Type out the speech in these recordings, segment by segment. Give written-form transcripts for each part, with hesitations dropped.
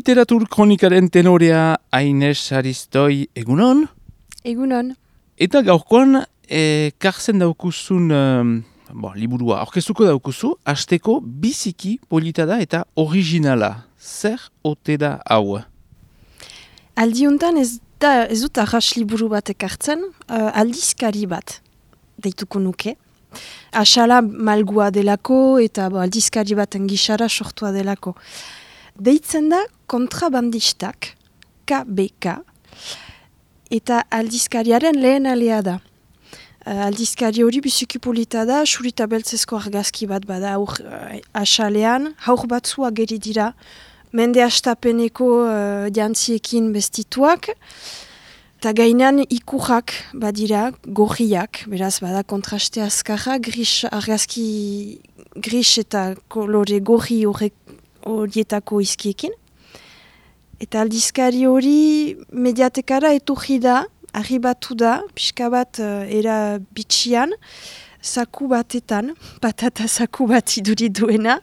Literatur kronikaren tenorea Aines Aristoi, egunon? Egunon. Eta gaurkoan, karzen daukuzun liburua aurkeztuko daukuzu, hasteko biziki polita da eta originala. Zer ote da hau? Aldiuntan ez dut arras liburu bat ekartzen, aldizkari bat deituko nuke. Asala malgua delako eta aldizkari baten gisara sortua delako. Deitzen da kontrabandistak, KBK, eta aldizkariaren lehen alea da. Aldizkari hori biziki polita da, surita beltzezko argazki bat bada asalean, haur batzua geri dira, mende astapeneko jantziekin bestituak, eta gainan ikurrak badira, gorriak, beraz bada kontraste azkarra, argazki gris eta kolore gorri horietako izkiekin. Eta aldizkari hori mediatekara etorri da, arribatu da, pixka bat era bitxian, saku batetan, patata saku bat iduri duena,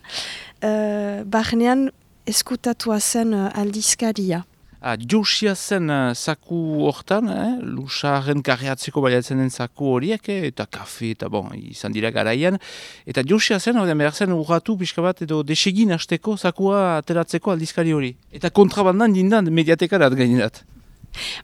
barnean eskutatua zen aldizkaria. Josia zen saku hortan, lusaren karriatzeko baliatzen den saku horiek, eta kafe, eta izan dira garaian. Eta josia zen, behar zen urratu pixka bat edo desegin hasteko sakua ateratzeko aldizkari hori. Eta kontrabandan dindan mediatekarat gainerat.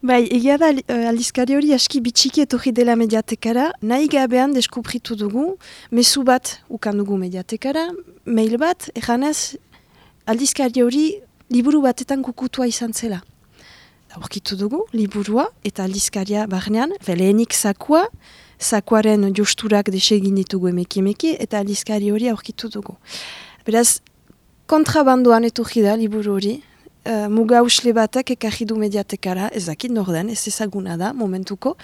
Bai, egia da aldizkari hori aski bitxiki etorri dela mediatekara, nahi gabean deskubritu dugu, mezu bat ukan dugu mediatekara, mail bat, eganez aldizkari hori liburu batetan kukutua izan zela. Aurkitu dugu, liburua eta aldizkaria barnean, lehenik sakuaren josturak desegin ditugu emeki, eta aldizkari hori aurkitu dugu. Beraz, kontrabandoan etorri da liburu hori, muga usle batek ekarri du mediatekara, ez dakit norden, ez ezaguna da momentuko,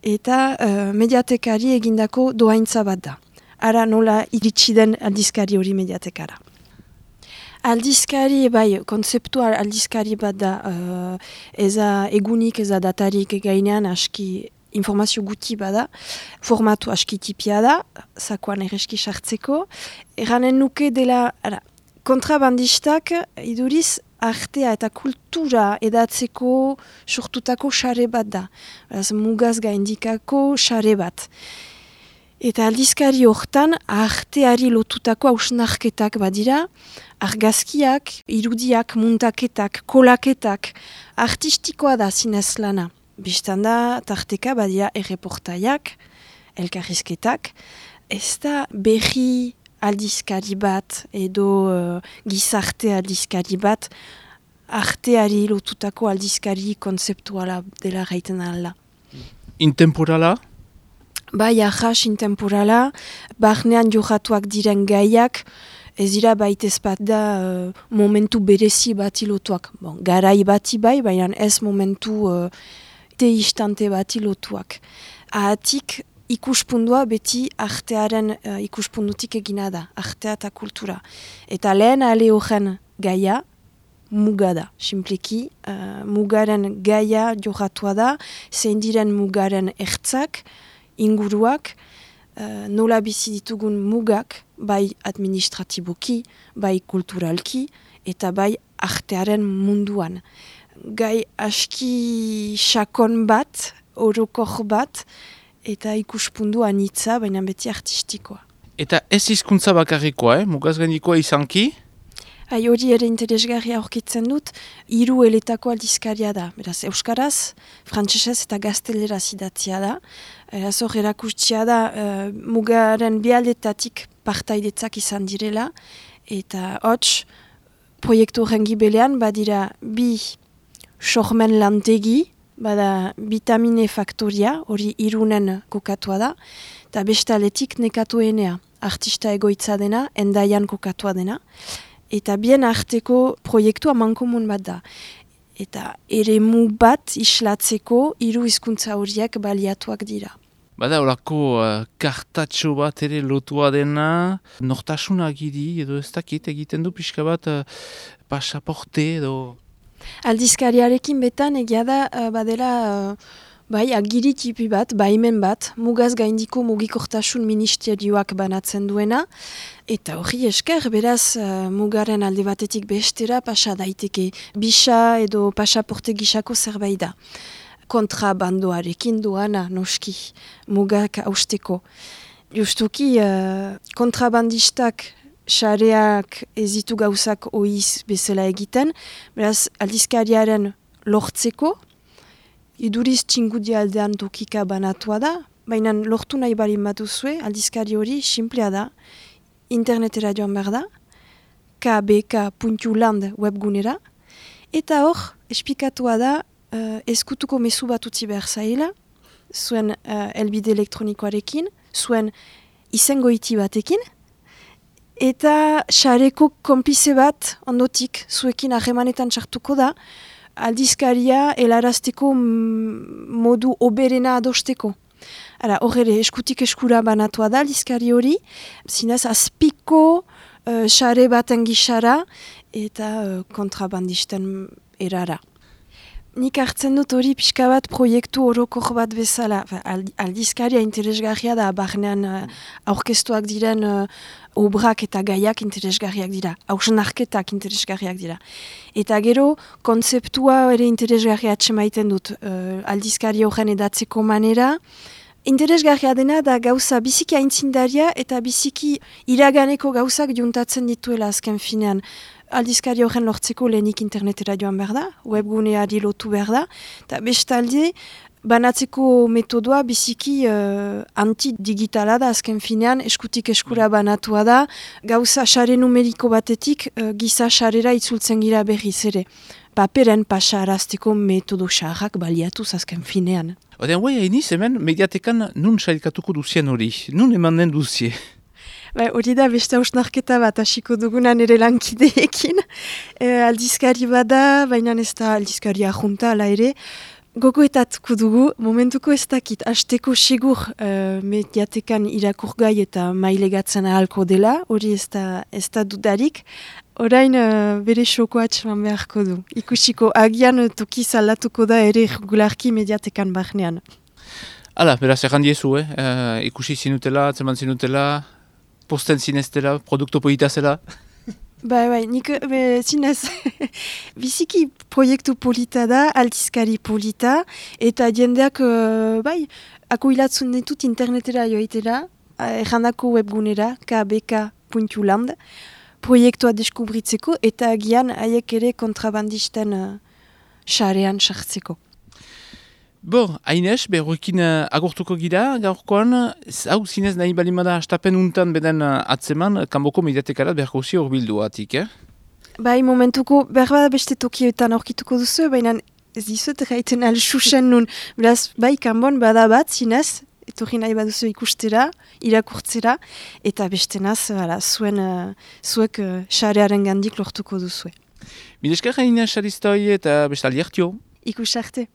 eta mediatekari egindako doaintza bat da. Ara nola iritsi den aldizkari hori mediatekara. Aldizkari, kontzeptual aldizkari bat da, eza egunik, eza datarik gainean aski informazio guti bada, formatu aski tipia da, sakoan erreski sartzeko. Eranen nuke dela, kontrabandistak iduriz artea eta kultura edatzeko sortutako sare bat da. Mugaz gaindikako sare bat. Eta aldizkari hortan arteari lotutako hausnarketak badira, argazkiak, irudiak, muntaketak, kolaketak, artistikoa da zinez lana. Bistan da, tarteka badira erreportaiak, elkarrizketak, ez da berri aldizkari bat edo gizarte aldizkari bat, arteari lotutako aldizkari kontzeptuala dela gaiten ala. Intemporala? Bai, ahas intemporala, barnean johatuak diren gaiak, ez dira baitez bat da momentu berezi bati lotuak. Garai bati baina ez momentu istante bati lotuak. Ahatik ikuspundua beti artearen ikuspundutik egina da, artea eta kultura. Eta lehen ale horren gaia, muga da, simpliki, mugaren gaia johatua da, zein diren mugaren ertzak, inguruak, nola bizi ditugun mugak, bai administratiboki, bai kulturalki, eta bai artearen munduan. Gai aski sakon bat, orokor bat, eta ikuspundu anitza, baina beti artistikoa. Eta ez hizkuntza bakarrikoa, mugaz gaindikoa izanki? Hori ere interesgarria aurkitzen dut, 3 eletako aldizkaria da. Beraz, euskaraz, frantsesez eta gazteleraz idatzia da. Eraz hor erakustia da mugaren bialdetatik partaidetzak izan direla. Eta hots, proiektu horren gibelean badira 2 sormen lantegi, bada vitamine faktoria, hori Irunen kokatua da, eta bestaletik nekatuenea, artista egoitza dena, Endaian kokatua dena. Eta bien arteko proiektua mankomun bat da. Eta eremu bat islatzeko 3 hizkuntza horiek baliatuak dira. Bada horako kartatxo bat ere lotua dena, nortasuna giri edo ez dakit egiten du pixka bat pasaporte edo... Aldizkariarekin betan egia da badela Bai, agiri tipi bat, baimen bat, mugaz gaindiko mugikortasun ministerioak banatzen duena, eta hori esker, beraz, mugaren alde batetik bestera pasa daiteke. Bisa edo pasaporte gisako zerbait da. Kontrabandoarekin doana, noski, mugak hausteko. Justuki, kontrabandistak sareak ez ditu gauzak oiz bezala egiten, beraz, aldizkariaren lortzeko, iduriz txingudi aldean tokika banatua da, baina lortu nahi balin batuzue, aldizkari hori simplea da, internetera joan behar da, kbk.land webgunera, eta hor, espikatua da, ezkutuko mezu bat utzi behar zaila, zuen elbide elektronikoarekin, zuen izengoiti batekin, eta xareko konplize bat ondotik zuekin ahemanetan txartuko da, aldizkaria helarazteko modu oberena adosteko. Hor ere, eskutik eskura banatua da aldizkari hori, zinez azpiko xare baten gixara eta kontrabandisten erara. Nik hartzen dut hori pixka bat proiektu orokor bat bezala. Aldizkaria interesgarria da, barnean aurkeztuak diren obrak eta gaiak interesgarriak dira. Hausnarketak interesgarriak dira. Eta gero, kontzeptua ere interesgarria atxemaiten dut. Aldizkari horren edatzeko manera. Interesgarria dena da gauza biziki aintzindaria eta biziki iraganeko gauzak juntatzen dituela azken finean. Aldizkari horren lortzeko lehenik internetera joan behar da, webguneari lotu behar da, eta bestalde, banatzeko metodoa biziki antidigitala da, azken finean, eskutik eskura banatua da, gauza xare numeriko batetik, giza xarera itzultzen gira berriz ere. Paperen pasarazteko metodo xarrak baliatuz azken finean. Odean, guai hainiz hemen, mediatekan nun sailkatuko duzien hori, nun eman den duzie? Hori da beste hausnarketa bat hasiko dugunan ere lankideekin. Aldizkari bada, baina ez da aldizkari ajunta ala ere. Gogoetatuko dugu, momentuko ez dakit, hasteko segur mediatekan irakurgai eta mailegatzen ahalko dela, hori ez da dudarik. Orain bere xoko atxeman beharko du. Ikusiko agian toki zalatuko da ere regularki mediatekan barnean. Hala, beraz errandiezu, ikusi zinutela, atzeman zinutela, posten zineztela, produkto polita zela? Bai, nik zinez biziki proiektu polita da, aldizkari polita, eta jendeak, akoilatzen ditut internetera joitera, errandako webgunera, kbk.land, proiektua deskubritzeko, eta agian haiek ere kontrabandisten xarean sartzeko. Bon, Aines, berroekin agortuko gira, gaurkoan, hau zinez nahi balimada hastapen untan beden atzeman, kanboko mediatekarat beharko zi horbildu atik, Bai, momentuko, behar beste tokietan aurkituko duzu, baina ez dizut gaiten alxusen nun. Beraz, bai, kanbon bada bat, zinez, etorri nahi baduzu ikustera, irakurtzera, eta beste naz, zuek xarearen gandik lortuko duzu. Mileskar Aines Aristoi eta bestaldi hartio. Ikus arte.